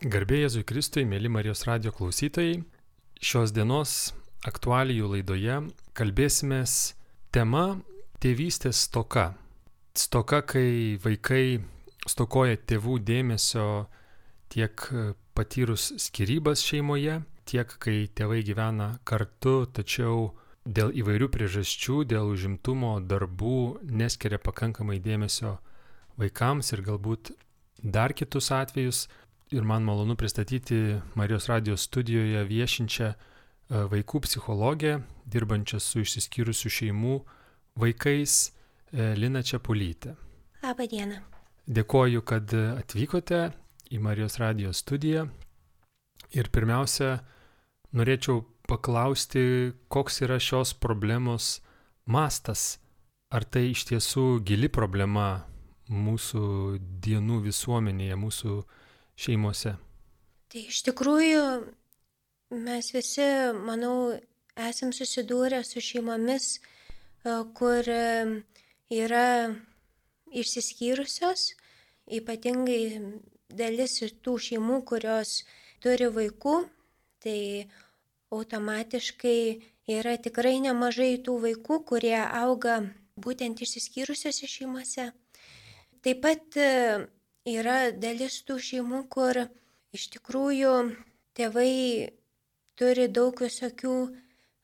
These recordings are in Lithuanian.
Garbė Jėzui Kristui, mėly Marijos radijo klausytojai, šios dienos aktualijų laidoje kalbėsimės tema tėvystės stoka. Stoka, kai vaikai stokoja tėvų dėmesio tiek patyrus skyrybas šeimoje, tiek kai tėvai gyvena kartu, tačiau dėl įvairių priežasčių, dėl užimtumo, darbų neskiria pakankamai dėmesio vaikams ir galbūt dar kitus atvejus. Ir man malonu pristatyti Marijos radijos studijoje viešinčią vaikų psichologę, dirbančią su išsiskyrusių šeimų vaikais, Liną Čepulytę. Labą dieną. Dėkoju, kad atvykote į Marijos radijos studiją. Ir pirmiausia, norėčiau paklausti, koks yra šios problemos mastas. Ar tai iš tiesų gili problema mūsų dienų visuomenėje, mūsų šeimose? Tai iš tikrųjų mes visi, manau, esam susidūrę su šeimomis, kur yra išsiskyrusios, ypatingai dalis tų šeimų, kurios turi vaikų, tai automatiškai yra tikrai nemažai tų vaikų, kurie auga būtent išsiskyrusiose šeimose. Taip pat yra dalis tų šeimų, kur iš tikrųjų tėvai turi daug visokių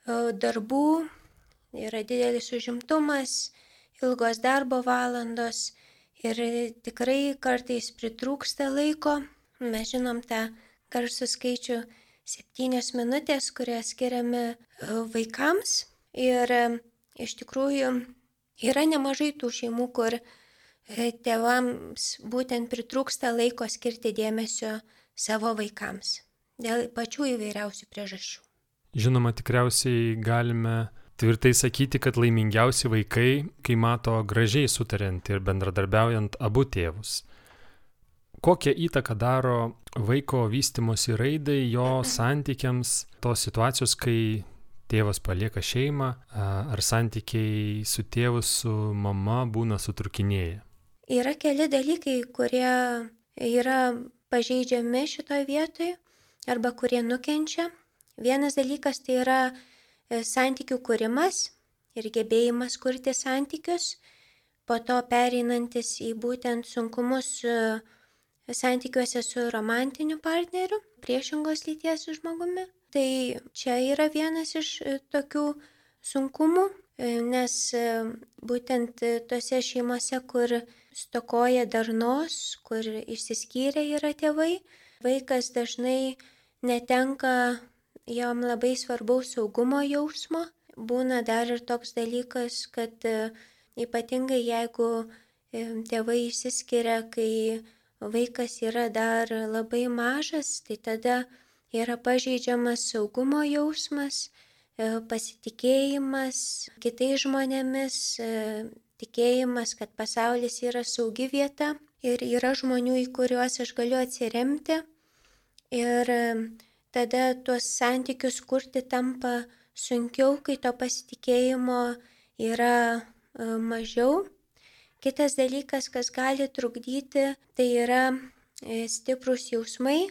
darbų, yra didelis užimtumas, ilgos darbo valandos ir tikrai kartais pritrūksta laiko. Mes žinom tą garsų skaičių 7 minutės, kurie skiriami vaikams. Ir iš tikrųjų yra nemažai tų šeimų, kur tėvams būtent pritrūksta laiko skirti dėmesio savo vaikams dėl pačių įvairiausių priežasčių. Žinoma, tikriausiai galime tvirtai sakyti, kad laimingiausi vaikai, kai mato gražiai sutariant ir bendradarbiaujant abu tėvus. Kokią įtaką daro vaiko vystymosi raidai, jo santykiams, tos situacijos, kai tėvas palieka šeimą, ar santykiai su tėvu, su mama būna sutrukinėję? Yra keli dalykai, kurie yra pažeidžiami šitoje vietoje arba kurie nukenčia. Vienas dalykas tai yra santykių kūrimas ir gebėjimas kurti santykius, po to pereinantis į būtent sunkumus santykiuose su romantiniu partneriu, priešingos lyties žmogumi. Tai čia yra vienas iš tokių sunkumų, nes būtent tose šeimose, kur stokoja darnos, kur išsiskyrę yra tėvai, vaikas dažnai netenka jam labai svarbaus saugumo jausmo. Būna dar ir toks dalykas, kad ypatingai jeigu tėvai išsiskiria, kai vaikas yra dar labai mažas, tai tada yra pažeidžiamas saugumo jausmas, pasitikėjimas kitais žmonėmis, tikėjimas, kad pasaulis yra saugi vieta ir yra žmonių, į kuriuos aš galiu atsiremti. Ir tada tuos santykius kurti tampa sunkiau, kai to pasitikėjimo yra mažiau. Kitas dalykas, kas gali trukdyti, tai yra stiprūs jausmai,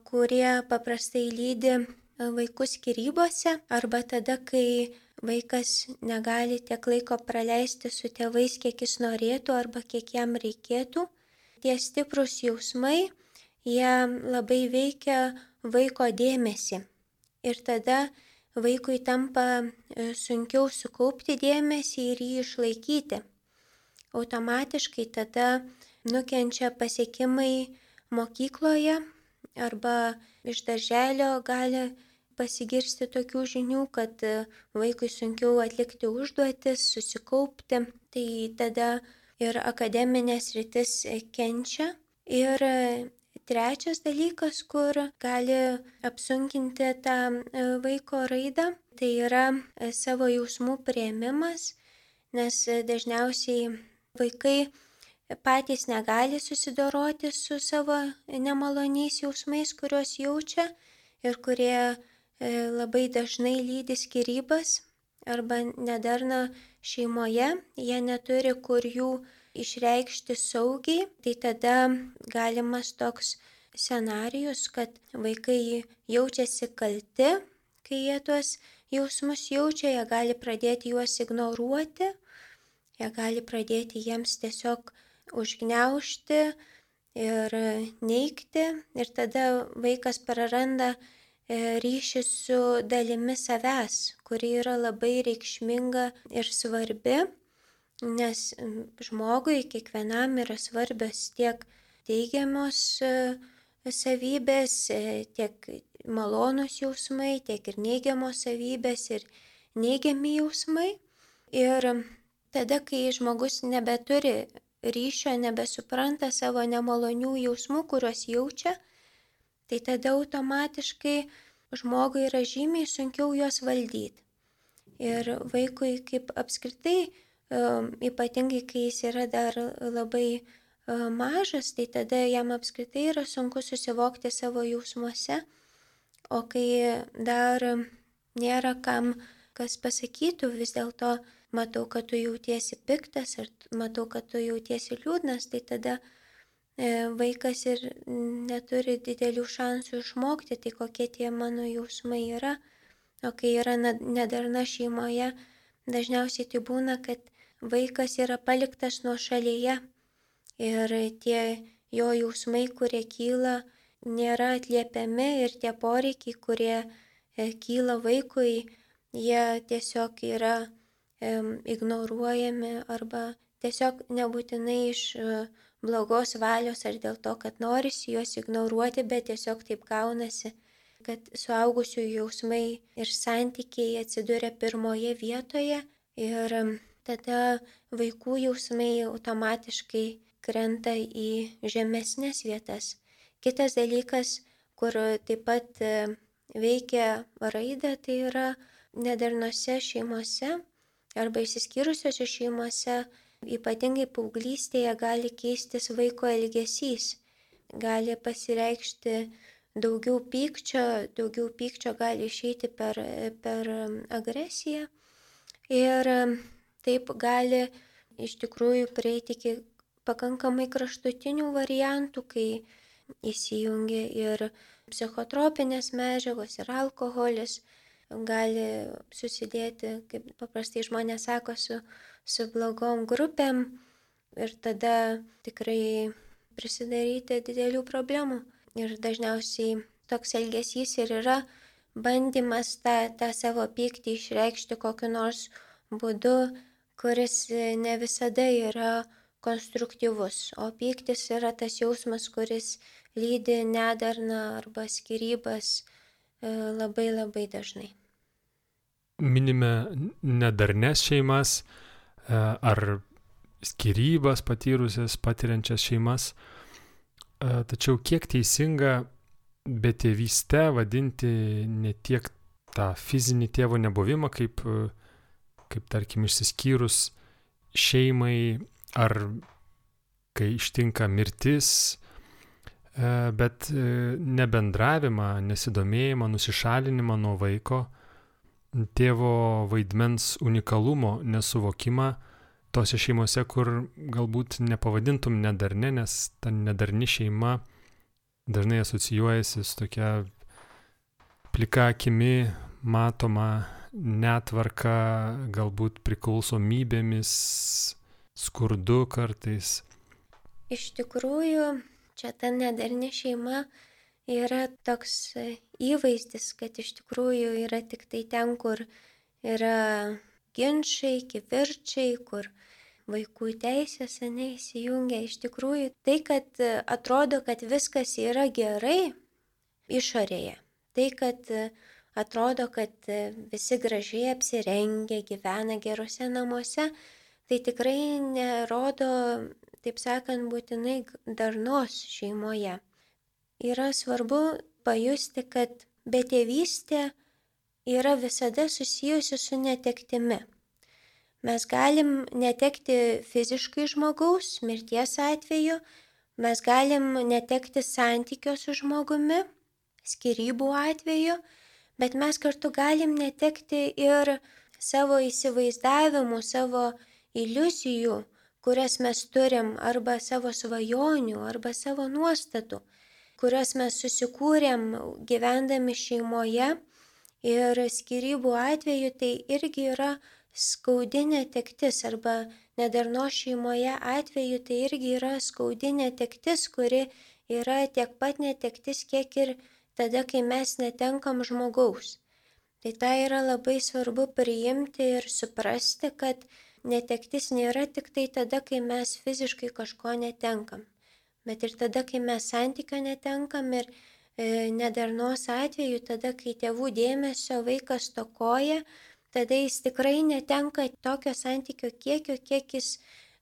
kurie paprastai lydi vaikus skyrybose arba tada, kai vaikas negali tiek laiko praleisti su tėvais, kiek jis norėtų arba kiek jam reikėtų. Tie stiprūs jausmai, jie labai veikia vaiko dėmesį. Ir tada vaikui tampa sunkiau sukaupti dėmesį ir jį išlaikyti. Automatiškai tada nukenčia pasiekimai mokykloje arba iš darželio gali pasigirsti tokių žinių, kad vaikui sunkiau atlikti užduotis, susikaupti, tai tada ir akademinės sritis kenčia. Ir trečias dalykas, kur gali apsunkinti tą vaiko raidą, tai yra savo jausmų priėmimas, nes dažniausiai vaikai patys negali susidoroti su savo nemaloniais jausmais, kuriuos jaučia ir kurie labai dažnai lydi skyrybas arba nedarna šeimoje, jie neturi kur jų išreikšti saugiai, tai tada galimas toks scenarijus, kad vaikai jaučiasi kalti, kai jie tuos jausmus jaučia, jie gali pradėti juos ignoruoti, jie gali pradėti jiems tiesiog užgniaužti ir neigti, ir tada vaikas praranda ryšį su dalimi savęs, kuri yra labai reikšminga ir svarbi, nes žmogui kiekvienam yra svarbios tiek teigiamos savybės, tiek malonus jausmai, tiek ir neigiamos savybės ir neigiami jausmai. Ir tada, kai žmogus nebeturi ryšio, nebesupranta savo nemalonių jausmų, kuriuos jaučia, tai tada automatiškai žmogui yra žymiai sunkiau juos valdyti. Ir vaikui kaip apskritai, ypatingai kai jis yra dar labai mažas, tai tada jam apskritai yra sunku susivokti savo jausmuose, o kai dar nėra kam, kas pasakytų, vis dėlto matau, kad tu jautiesi piktas, ar matau, kad tu jautiesi liūdnas, tai tada vaikas ir neturi didelių šansų išmokti, tai kokie tie mano jausmai yra. O kai yra nedarna šeimoje, dažniausiai tai būna, kad vaikas yra paliktas nuošalyje ir tie jo jausmai, kurie kyla, nėra atliepiami ir tie poreikiai, kurie kyla vaikui, jie tiesiog yra ignoruojami arba tiesiog nebūtinai iš blogos valios ar dėl to, kad norisi juos ignoruoti, bet tiesiog taip gaunasi, kad suaugusių jausmai ir santykiai atsiduria pirmoje vietoje ir tada vaikų jausmai automatiškai krenta į žemesnės vietas. Kitas dalykas, kur taip pat veikia raidą, tai yra nedarnose šeimose arba išsiskyrusiose šeimose. Ypatingai paauglystėje gali keistis vaiko elgesys, gali pasireikšti daugiau pykčio gali išeiti per agresiją ir taip gali iš tikrųjų prieiti iki pakankamai kraštutinių variantų, kai įsijungia ir psichotropinės medžiagos, ir alkoholis, gali susidėti, kaip paprastai žmonės sako, su blogom grupėm ir tada tikrai prisidaryti didelių problemų. Ir dažniausiai toks elgesys ir yra bandymas tą savo pyktį išreikšti kokiu nors būdu, kuris ne visada yra konstruktyvus. O pyktis yra tas jausmas, kuris lydi nedarną arba skyrybas labai labai dažnai. Minime nedarnes šeimas ar skyrybas patiriančias šeimas. Tačiau kiek teisinga betėvystę vadinti ne tiek tą fizinį tėvo nebuvimą, kaip tarkim išsiskyrus šeimai ar kai ištinka mirtis, bet nebendravimą, nesidomėjimą, nusišalinimą nuo vaiko, tėvo vaidmens unikalumo nesuvokimą tose šeimose, kur galbūt nepavadintum nedarne, nes ta nedarni šeima dažnai asocijuojasi su tokia plika akimi matoma netvarka, galbūt priklausomybėmis, skurdu kartais. Iš tikrųjų, čia ta nedarni šeima yra toks įvaizdis, kad iš tikrųjų yra tik tai ten, kur yra ginčiai, kivirčiai, kur vaikų teisės įsijungia. Iš tikrųjų, tai, kad atrodo, kad viskas yra gerai išorėje, tai, kad atrodo, kad visi gražiai apsirengę, gyvena gerose namuose, tai tikrai nerodo, taip sakant, būtinai darnos šeimoje. Yra svarbu pajusti, kad betėvystė yra visada susijusi su netektimi. Mes galim netekti fiziškai žmogaus, mirties atveju, mes galim netekti santykio su žmogumi, skyrybų atveju, bet mes kartu galim netekti ir savo įsivaizdavimų, savo iliuzijų, kurias mes turim, arba savo svajonių, arba savo nuostatų, kuriuos mes susikūrėm gyvendami šeimoje. Ir skyrybų atveju tai irgi yra skaudi netektis, arba nedarnos šeimoje atveju tai irgi yra skaudi netektis, kuri yra tiek pat netektis, kiek ir tada, kai mes netenkam žmogaus. Tai tai yra labai svarbu priimti ir suprasti, kad netektis nėra tik tai tada, kai mes fiziškai kažko netenkam, bet ir tada, kai mes santykio netenkam, ir nedarnos atveju, tada, kai tėvų dėmesio vaikas stokoja, tada jis tikrai netenka tokio santykio kiekio, kiek jis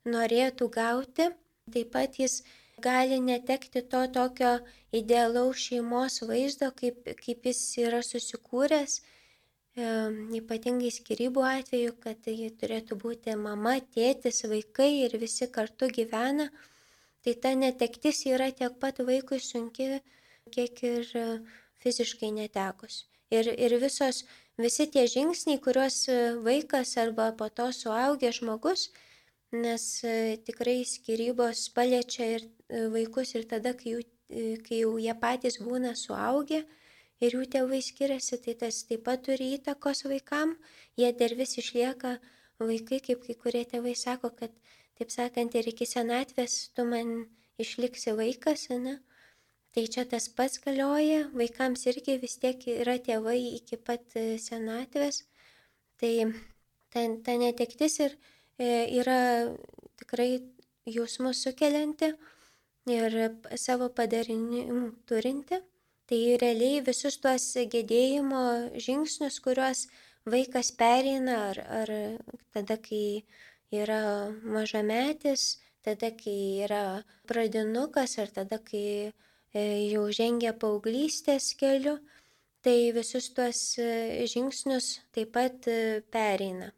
norėtų gauti. Taip pat jis gali netekti to tokio idealaus šeimos vaizdo, kaip jis yra susikūręs, ypatingai skyrybų atveju, kad tai turėtų būti mama, tėtis, vaikai ir visi kartu gyvena. Tai ta netektis yra tiek pat vaikui sunki, kiek ir fiziškai netekus. Ir visi tie žingsniai, kuriuos vaikas arba po to suaugęs žmogus, nes tikrai skyrybos paliečia ir vaikus ir tada, kai jau jie patys būna suaugę ir jų tėvai skiriasi, tai tas taip pat turi įtakos vaikam. Jie dar vis išlieka vaikai, kaip kai kurie tėvai sako, kad, taip sakant, ir iki senatvės tu man išliksi vaikas, ne? Tai čia tas pats galioja, vaikams irgi vis tiek yra tėvai iki pat senatvės. Tai ta netektis ir yra tikrai jausmus sukelianti ir savo padarinių turinti. Tai realiai visus tuos gedėjimo žingsnius, kuriuos vaikas pereina, ar tada, kai yra mažametis, tada, kai yra pradinukas, ar tada, kai jau žengia paauglystės keliu, tai visus tuos žingsnius taip pat pereina.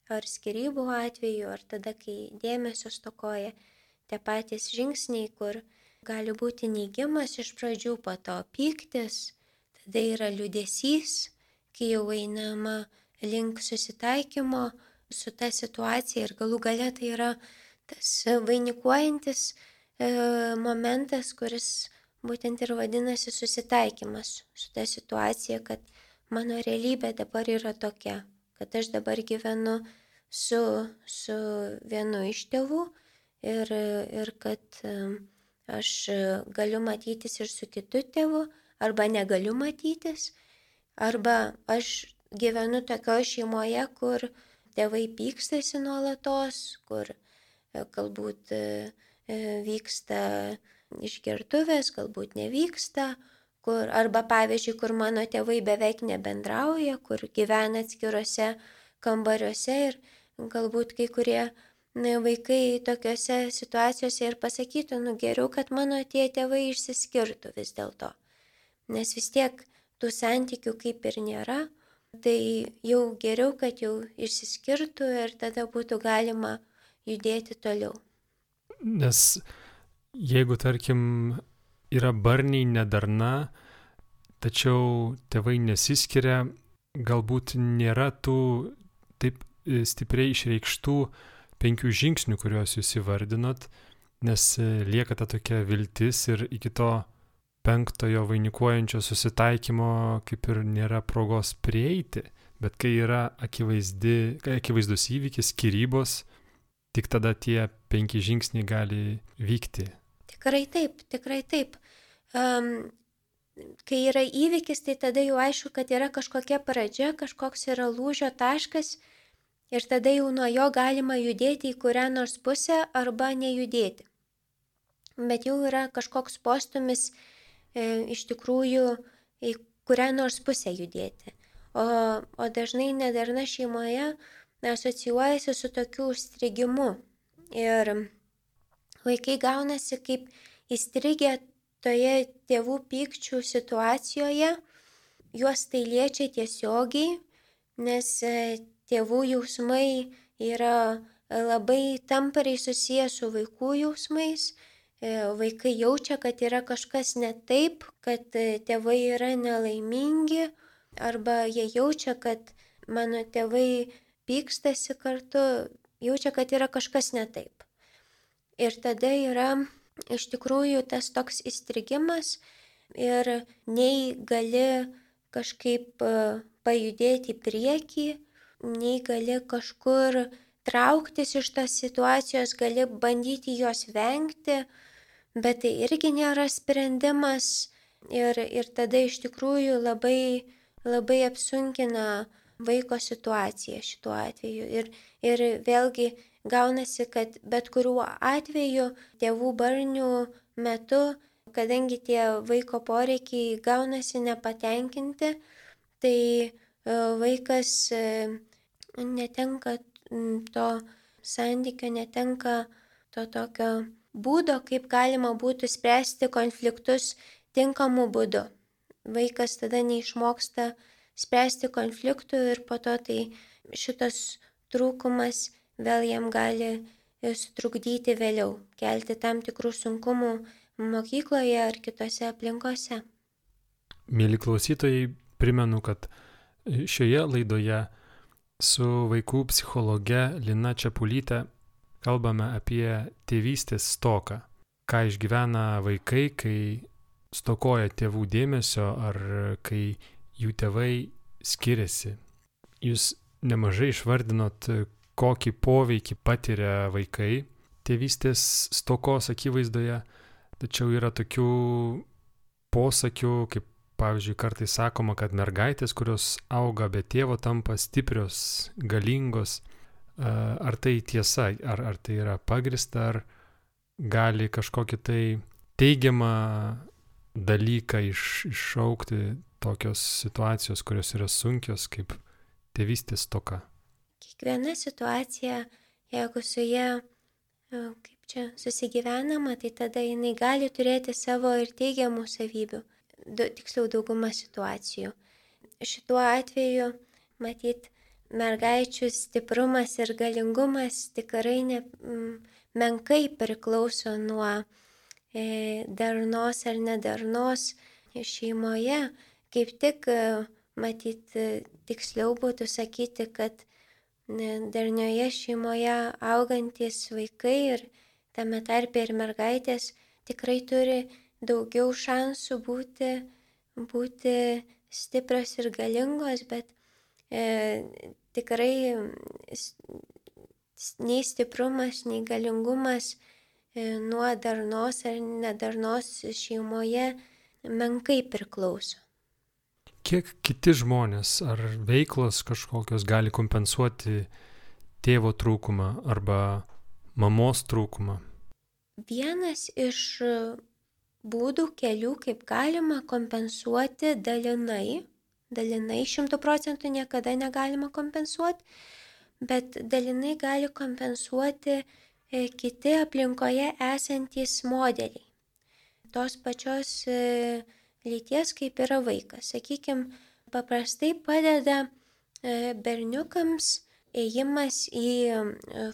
Ar skyrybų atveju, ar tada, kai dėmesio stokoja, tie patys žingsniai, kur gali būti neigimas iš pradžių, po to pyktis, tada yra liūdesys, kai jau einama link susitaikymo su ta situacija ir galų gale tai yra tas vainikuojantis momentas, kuris būtent ir vadinasi susitaikymas su ta situacija, kad mano realybė dabar yra tokia, kad aš dabar gyvenu su vienu iš tėvų ir kad aš galiu matytis ir su kitu tėvu, arba negaliu matytis, arba aš gyvenu tokioje šeimoje, kur tėvai pykstasi nuolatos, kur galbūt vyksta išgertuvės, galbūt nevyksta, arba pavyzdžiui, kur mano tėvai beveik nebendrauja, kur gyvena atskiruose kambariuose ir galbūt kai kurie vaikai tokiuose situacijose ir pasakytų, geriau, kad mano tie tėvai išsiskirtų vis dėlto, nes vis tiek tų santykių kaip ir nėra, tai jau geriau, kad jau išsiskirtų ir tada būtų galima judėti toliau. Nes jeigu, tarkim, yra barniai nedarna, tačiau tėvai nesiskiria, galbūt nėra tų taip stipriai išreikštų 5 žingsnių, kuriuos jūs įvardinot, nes lieka ta tokia viltis ir iki to 5 vainikuojančio susitaikymo kaip ir nėra progos prieiti, bet kai yra akivaizdus įvykis, skyrybos, tik tada tie 5 žingsniai gali vykti. Tikrai taip. Kai yra įvykis, tai tada jau aišku, kad yra kažkokia pradžia, kažkoks yra lūžio taškas ir tada jau nuo jo galima judėti į kurią nors pusę arba nejudėti. Bet jau yra kažkoks postumis iš tikrųjų į kurią nors pusę judėti. O dažnai nedarna šeimoje asocijuojasi su tokiu užstrigimu ir vaikai gaunasi kaip įstrigę toje tėvų pykčių situacijoje, juos tai liečia tiesiogiai, nes tėvų jausmai yra labai tampariai susiję su vaikų jausmais. Vaikai jaučia, kad yra kažkas ne taip, kad tėvai yra nelaimingi, arba jie jaučia, kad mano tėvai pykstasi kartu, jaučia, kad yra kažkas ne taip. Ir tada yra iš tikrųjų tas toks įstrigimas ir nei gali kažkaip pajudėti į priekį, nei gali kažkur trauktis iš tos situacijos, gali bandyti jos vengti, bet tai irgi nėra sprendimas ir tada iš tikrųjų labai apsunkina vaiko situaciją šituo atveju. Ir vėlgi gaunasi, kad bet kuriuo atveju tėvų barnių metu, kadangi tie vaiko poreikiai gaunasi nepatenkinti, tai vaikas netenka to santykio, netenka to tokio būdo, kaip galima būtų spręsti konfliktus tinkamu būdu. Vaikas tada neišmoksta spręsti konfliktų ir po to tai šitas trūkumas vėl jam gali sutrukdyti vėliau, kelti tam tikrų sunkumų mokykloje ar kitose aplinkose. Mėly klausytojai, primenu, kad šioje laidoje su vaikų psichologe Lina Čepulyte kalbame apie tėvystės stoką. Ką išgyvena vaikai, kai stokoja tėvų dėmesio ar kai jų tėvai skiriasi. Jūs nemažai išvardinot, kokį poveikį patiria vaikai tėvystės stokos akivaizdoje, tačiau yra tokių posakių, kaip pavyzdžiui kartais sakoma, kad mergaitės, kurios auga be tėvo, tampa stiprios, galingos. Ar tai tiesa, ar tai yra pagrįsta, ar gali kažkokį tai teigiamą dalyką iššaukti tokios situacijos, kurios yra sunkios, kaip tėvystės stoka? Kiekviena situacija, jeigu su ja susigyvenama, tai tada jinai gali turėti savo ir teigiamų savybių, tiksliau dauguma situacijų. Šituo atveju, matyt, mergaičių stiprumas ir galingumas tikrai menkai priklauso nuo darnos ar nedarnos šeimoje. Kaip tik, matyt, tiksliau būtų sakyti, kad darnioje šeimoje augantis vaikai ir tame tarpe ir mergaitės tikrai turi daugiau šansų būti stiprios ir galingos, bet tikrai nei stiprumas, nei galingumas nuo darnos ar nedarnos šeimoje menkai priklauso. Kiek kiti žmonės ar veiklos kažkokios gali kompensuoti tėvo trūkumą arba mamos trūkumą? Vienas iš būdų, kelių, kaip galima kompensuoti dalinai 100% niekada negalima kompensuoti, bet dalinai gali kompensuoti kiti aplinkoje esantys modeliai. Tos pačios lyties, kaip yra vaikas. Sakykime, paprastai padeda berniukams ėjimas į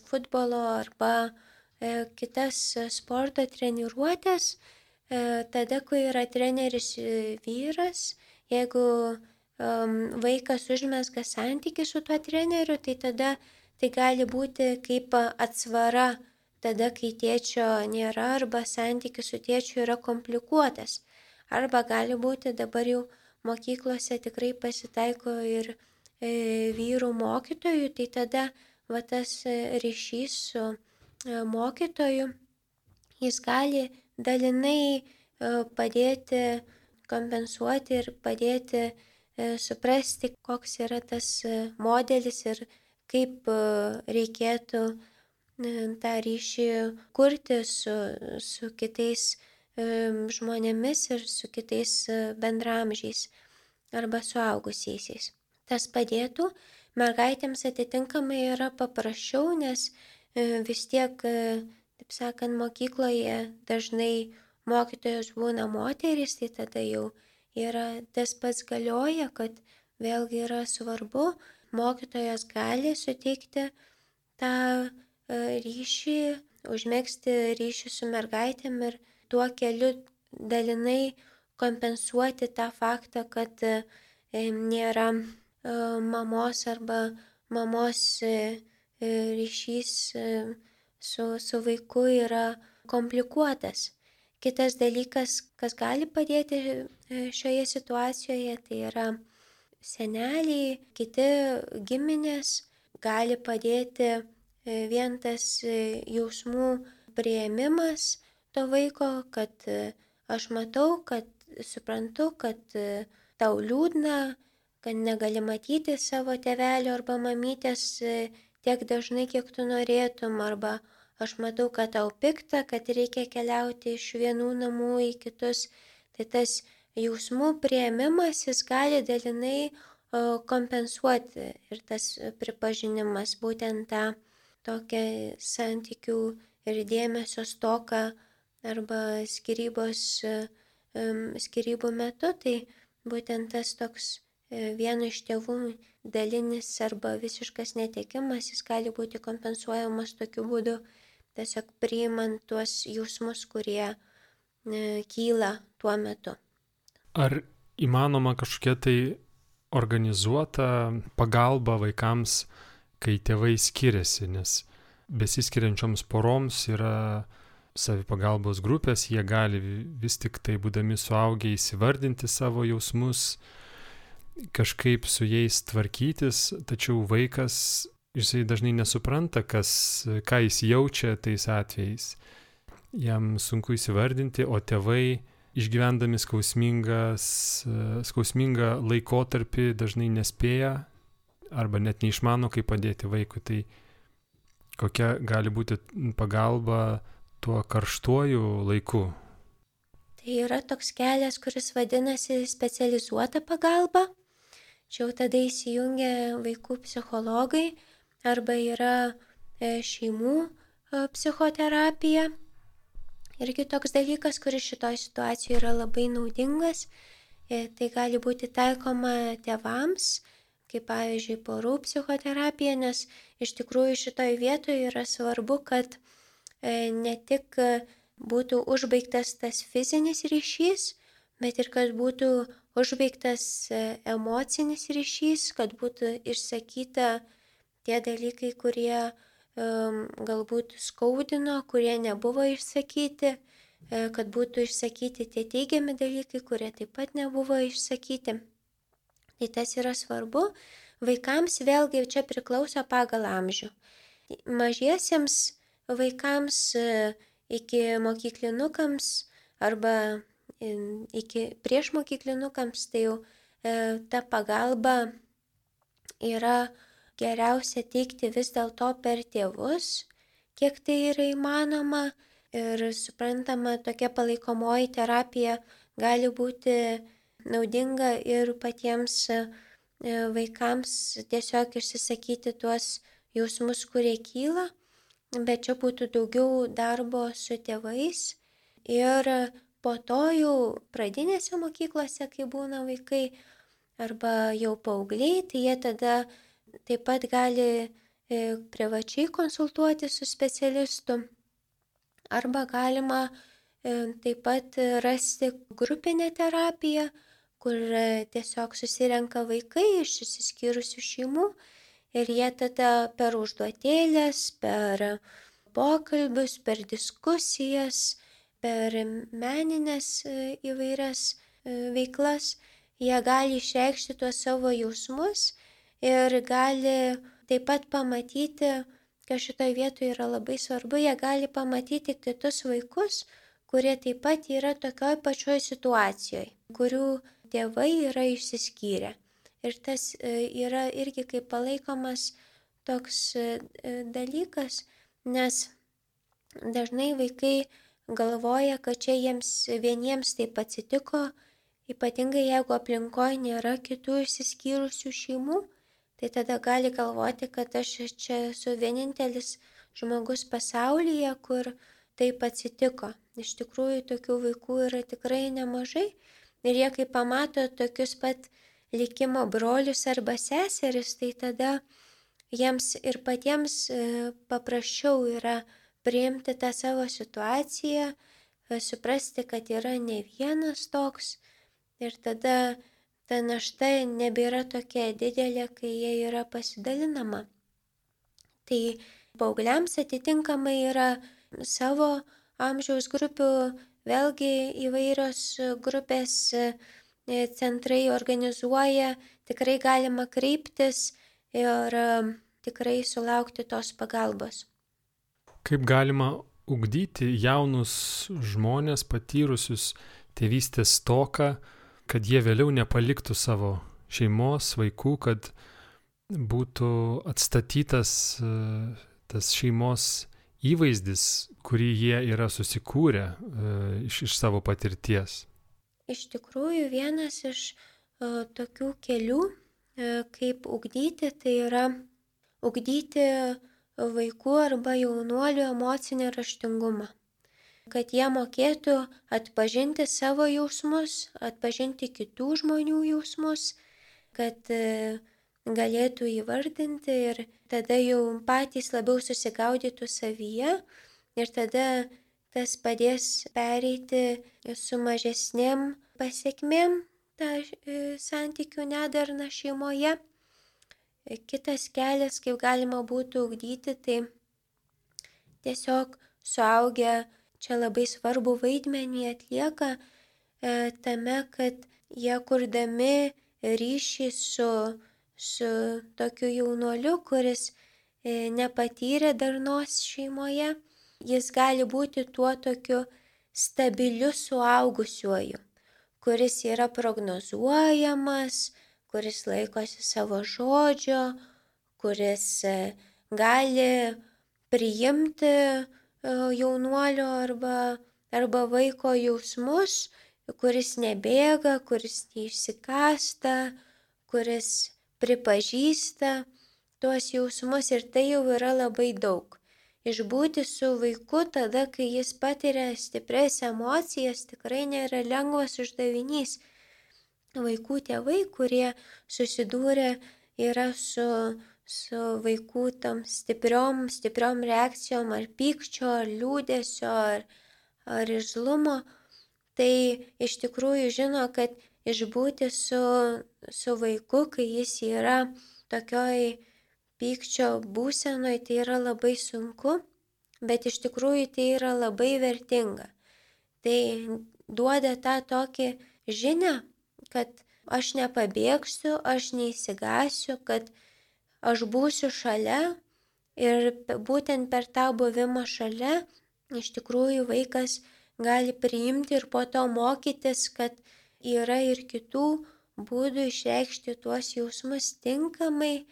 futbolo arba kitas sporto treniruotės, tada, kai yra treneris vyras, jeigu vaikas užmezga santykį su tuo treneriu, tai tada tai gali būti kaip atsvara tada, kai tėčio nėra arba santykis su tėčiu yra komplikuotas. Arba gali būti dabar jau mokyklose tikrai pasitaiko ir vyrų mokytojų, tai tada va tas ryšys su mokytoju, jis gali dalinai padėti kompensuoti ir padėti suprasti, koks yra tas modelis ir kaip reikėtų tą ryšį kurti su kitais žmonėmis ir su kitais bendramžiais arba suaugusiaisiais. Tas padėtų, mergaitėms atitinkamai yra paprasčiau, nes vis tiek, taip sakant, mokykloje dažnai mokytojos būna moterys, tai tada jau yra tas pats galioja, kad vėlgi yra svarbu, mokytojas gali suteikti tą ryšį, užmegzti ryšį su mergaitėm ir tuo keliu dalinai kompensuoti tą faktą, kad nėra mamos arba mamos ryšys su vaiku yra komplikuotas. Kitas dalykas, kas gali padėti šioje situacijoje, tai yra seneliai, kiti giminės, gali padėti vien tas jausmų priėmimas to vaiko, kad aš matau, kad suprantu, kad tau liūdna, kad negali matyti savo tėvelio arba mamytės tiek dažnai, kiek tu norėtum, arba aš matau, kad tau pikta, kad reikia keliauti iš vienų namų į kitus. Tai tas jausmų priėmimas, jis gali dalinai kompensuoti ir tas pripažinimas būtent tą tokią santykių ir dėmesio stoką arba skyrybų metu, tai būtent tas toks vieno iš tėvų dalinis arba visiškas netekimas, jis gali būti kompensuojamas tokiu būdu, tiesiog priimant tuos jausmus, kurie kyla tuo metu. Ar įmanoma kažkokia tai organizuota pagalba vaikams, kai tėvai skiriasi, nes besiskiriančioms poroms yra savipagalbos grupės, jie gali vis tik tai būdami suaugę įsivardinti savo jausmus, kažkaip su jais tvarkytis, tačiau vaikas, jisai dažnai nesupranta, ką jis jaučia tais atvejais. Jam sunku įsivardinti, o tėvai išgyvendami skausmingą laikotarpį dažnai nespėja arba net neišmano, kaip padėti vaikui. Tai kokia gali būti pagalba tuo karštuoju laiku? Tai yra toks kelias, kuris vadinasi specializuota pagalba. Čia jau tada įsijungia vaikų psichologai arba yra šeimų psichoterapija. Irgi toks dalykas, kuris šitoj situacijoje yra labai naudingas. Tai gali būti taikoma tėvams, kaip pavyzdžiui porų psichoterapija, nes iš tikrųjų šitoj vietoje yra svarbu, kad ne tik būtų užbaigtas tas fizinis ryšys, bet ir kad būtų užbaigtas emocinis ryšys, kad būtų išsakyta tie dalykai, kurie galbūt skaudino, kurie nebuvo išsakyti, kad būtų išsakyti tie teigiami dalykai, kurie taip pat nebuvo išsakyti. Tai tas yra svarbu. Vaikams vėlgi čia priklauso pagal amžių. Mažiesiems vaikams iki mokyklinukams arba iki priešmokyklinukams, tai jau ta pagalba yra geriausia teikti vis dėlto per tėvus, kiek tai yra įmanoma. Ir suprantama, tokia palaikomoji terapija gali būti naudinga ir patiems vaikams tiesiog išsisakyti tuos jausmus, kurie kyla, bet čia būtų daugiau darbo su tėvais. Ir po to jau pradinėse mokyklose, kai būna vaikai arba jau paaugliai, tai jie tada taip pat gali privačiai konsultuoti su specialistu. Arba galima taip pat rasti grupinę terapiją, kur tiesiog susirenka vaikai iš išsiskyrusių šeimų ir jie tada per užduotėlės, per pokalbius, per diskusijas, per meninės įvairias veiklas, jie gali išreikšti tuos savo jausmus ir gali taip pat pamatyti, kas šitoje vietoje yra labai svarbu, jie gali pamatyti kitus vaikus, kurie taip pat yra tokioj pačioj situacijoje, kurių tėvai yra išsiskyrę. Ir tas yra irgi kaip palaikomas toks dalykas, nes dažnai vaikai galvoja, kad čia jiems vieniems taip atsitiko, ypatingai jeigu aplinkoje nėra kitų išsiskyrusių šeimų, tai tada gali galvoti, kad aš čia esu vienintelis žmogus pasaulyje, kur taip atsitiko. Iš tikrųjų, tokių vaikų yra tikrai nemažai ir jie, kai pamato tokius pat likimo brolius arba seseris, tai tada jiems ir patiems paprasčiau yra priimti tą savo situaciją, suprasti, kad yra ne vienas toks ir tada ta našta nebėra tokia didelė, kai jie yra pasidalinama. Tai paaugliams atitinkamai yra savo amžiaus grupių, vėlgi įvairios grupės centrai organizuoja, tikrai galima kreiptis ir tikrai sulaukti tos pagalbos. Kaip galima ugdyti jaunus žmonės patyrusius tėvystės stoką, kad jie vėliau nepaliktų savo šeimos, vaikų, kad būtų atstatytas tas šeimos įvaizdis, kurį jie yra susikūrę iš savo patirties. Iš tikrųjų, vienas iš tokių kelių, kaip ugdyti, tai yra ugdyti vaikų arba jaunuolių emocinį raštingumą. Kad jie mokėtų atpažinti savo jausmus, atpažinti kitų žmonių jausmus, kad galėtų įvardinti ir tada jau patys labiau susigaudytų savyje ir tada tas padės pereiti su mažesnėm pasekmėm tą santykių nedarną šeimoje. Kitas kelias, kaip galima būtų ugdyti, tai tiesiog suaugę čia labai svarbu vaidmenį atlieka tame, kad jie kurdami ryšį su tokiu jaunuoliu, kuris nepatyrė darnos šeimoje, jis gali būti tuo tokiu stabiliu suaugusiuoju, kuris yra prognozuojamas, kuris laikosi savo žodžio, kuris gali priimti jaunuolio arba vaiko jausmus, kuris nebėga, kuris neišsikasta, kuris pripažįsta tuos jausmus ir tai jau yra labai daug. Išbūti su vaiku tada, kai jis patiria stiprias emocijas, tikrai nėra lengvas uždavinys. Vaikų tėvai, kurie susidūrė yra su vaikų tam stipriom reakcijom ar pykčio, ar liūdesio, ar irzlumo, tai iš tikrųjų žino, kad išbūti su vaiku, kai jis yra tokioj pykčio būsenoj, tai yra labai sunku, bet iš tikrųjų tai yra labai vertinga. Tai duoda tą tokį žinią, kad aš nepabėgsiu, aš neįsigasiu, kad aš būsiu šalia ir būtent per tą buvimą šalia iš tikrųjų vaikas gali priimti ir po to mokytis, kad yra ir kitų būdų išreikšti tuos jausmus tinkamai,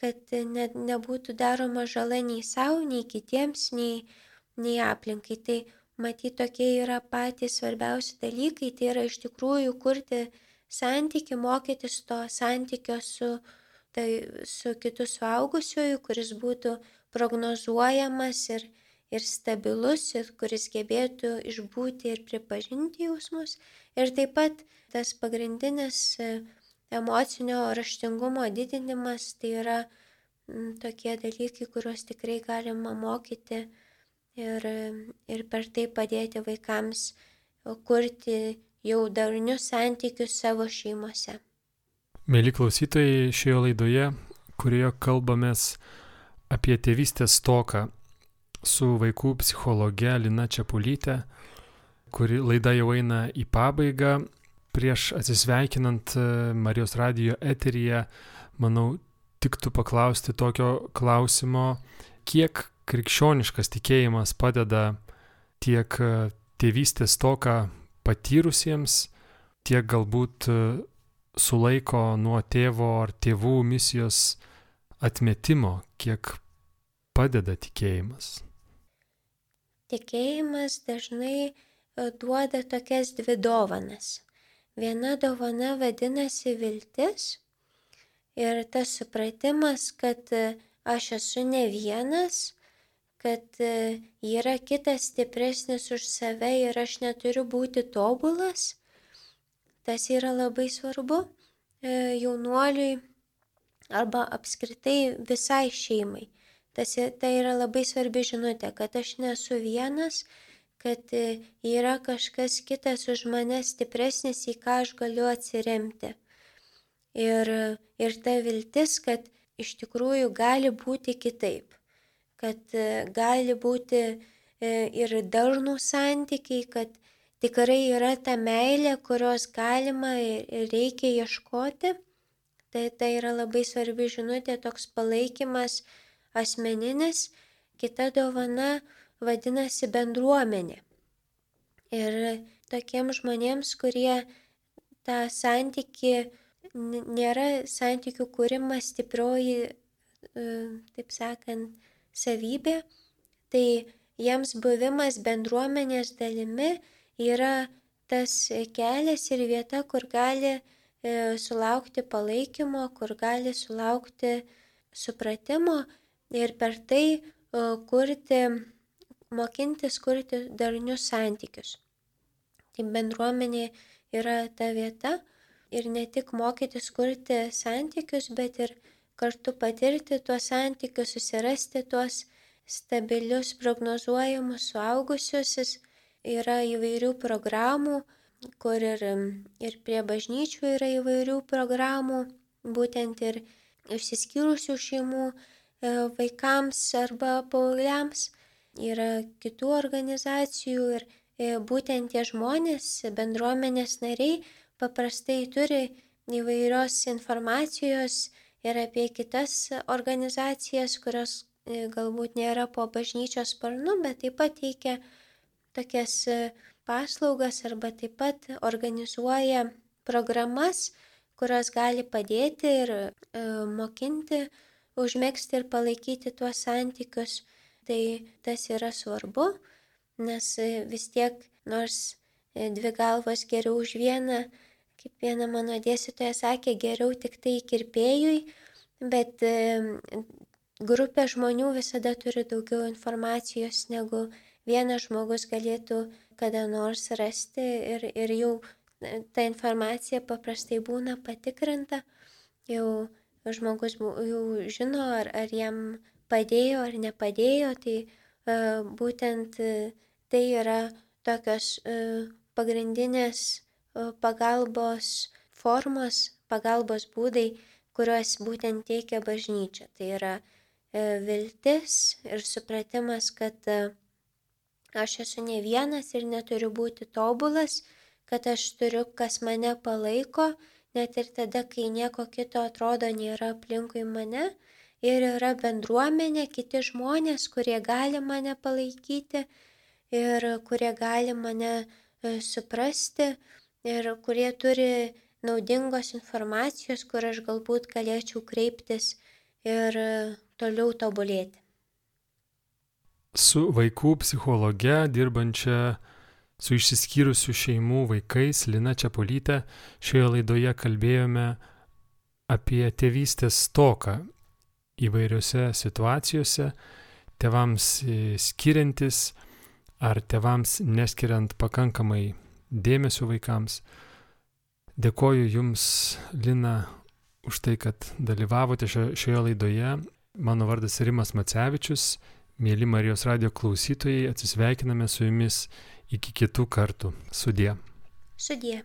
kad nebūtų daroma žala nei savo, nei kitiems, nei aplinkai. Tai matyt, tokie yra patys svarbiausi dalykai, tai yra iš tikrųjų kurti santykį, mokytis to santykio su kitu suaugusiuoju, kuris būtų prognozuojamas ir stabilus, ir kuris gebėtų išbūti ir pripažinti jausmus. Ir taip pat tas pagrindinis emocinio raštingumo didinimas, tai yra tokie dalykai, kuriuos tikrai galima mokyti ir per tai padėti vaikams kurti jau darnius santykius savo šeimose. Mėly klausytojai, šioje laidoje, kurioje kalbamės apie tėvystės stoką su vaikų psichologe Lina Čepulyte, kuri laida jau eina į pabaigą. Prieš atsisveikinant Marijos radijo eteryje, manau, tiktų paklausti tokio klausimo, kiek krikščioniškas tikėjimas padeda tiek tėvystės stoką patyrusiems, tiek galbūt sulaiko nuo tėvo ar tėvų misijos atmetimo, kiek padeda tikėjimas. Tikėjimas dažnai duoda tokias dvi dovanas. Viena dovana vadinasi viltis ir tas supratimas, kad aš esu ne vienas, kad yra kitas stipresnis už save ir aš neturiu būti tobulas. Tas yra labai svarbu jaunuoliui arba apskritai visai šeimai. Tai yra labai svarbi žinutė, kad aš nesu vienas, kad yra kažkas kitas už mane stipresnis, į ką aš galiu atsiremti. Ir ta viltis, kad iš tikrųjų gali būti kitaip, kad gali būti ir darnų santykiai, kad tikrai yra ta meilė, kurios galima ir reikia ieškoti. Tai yra labai svarbi žinutė, toks palaikymas asmeninis. Kita dovana vadinasi bendruomenė. Ir tokiems žmonėms, kurie tą santykį, nėra santykių kūrimas stiprioji, taip sakant, savybė, tai jiems buvimas bendruomenės dalimi yra tas kelias ir vieta, kur gali sulaukti palaikymo, kur gali sulaukti supratimo ir per tai mokintis kurti darnius santykius. Tai bendruomenė yra ta vieta ir ne tik mokytis kurti santykius, bet ir kartu patirti tuos santykius, susirasti tuos stabilius, prognozuojamus suaugusiusis. Yra įvairių programų, kur ir prie bažnyčių yra įvairių programų, būtent ir išsiskyrusių šeimų vaikams arba paaugliams. Yra kitų organizacijų ir būtent tie žmonės, bendruomenės nariai, paprastai turi įvairios informacijos ir apie kitas organizacijas, kurios galbūt nėra po bažnyčios sparnu, bet taip pat teikia tokias paslaugas arba taip pat organizuoja programas, kurios gali padėti ir mokinti, užmegzti ir palaikyti tuos santykius. Tai tas yra svarbu, nes vis tiek, nors dvi galvos geriau už vieną, kaip viena mano dėstytoja sakė, geriau tik tai kirpėjui, bet grupė žmonių visada turi daugiau informacijos, negu vienas žmogus galėtų kada nors rasti ir jau ta informacija paprastai būna patikrinta, jau žmogus jau žino, ar jam padėjo ar nepadėjo, tai būtent tai yra tokios pagrindinės pagalbos formos, pagalbos būdai, kuriuos būtent teikia bažnyčia. Tai yra viltis ir supratimas, kad aš esu ne vienas ir neturiu būti tobulas, kad aš turiu, kas mane palaiko, net ir tada, kai nieko kito atrodo nėra aplinkui mane. Ir yra bendruomenė, kiti žmonės, kurie gali mane palaikyti ir kurie gali mane suprasti ir kurie turi naudingos informacijos, kur aš galbūt galėčiau kreiptis ir toliau tobulėti. Su vaikų psichologe dirbančia su išsiskyrusių šeimų vaikais Lina Čepulyte šioje laidoje kalbėjome apie tėvystės stoką įvairiose situacijose, tėvams skiriantis ar tėvams neskiriant pakankamai dėmesio vaikams. Dėkoju Jums, Lina, už tai, kad dalyvavote šioje laidoje. Mano vardas Rimas Macevičius. Mėly Marijos radijo klausytojai, atsisveikiname su Jumis iki kitų kartų. Sudie. Sudie.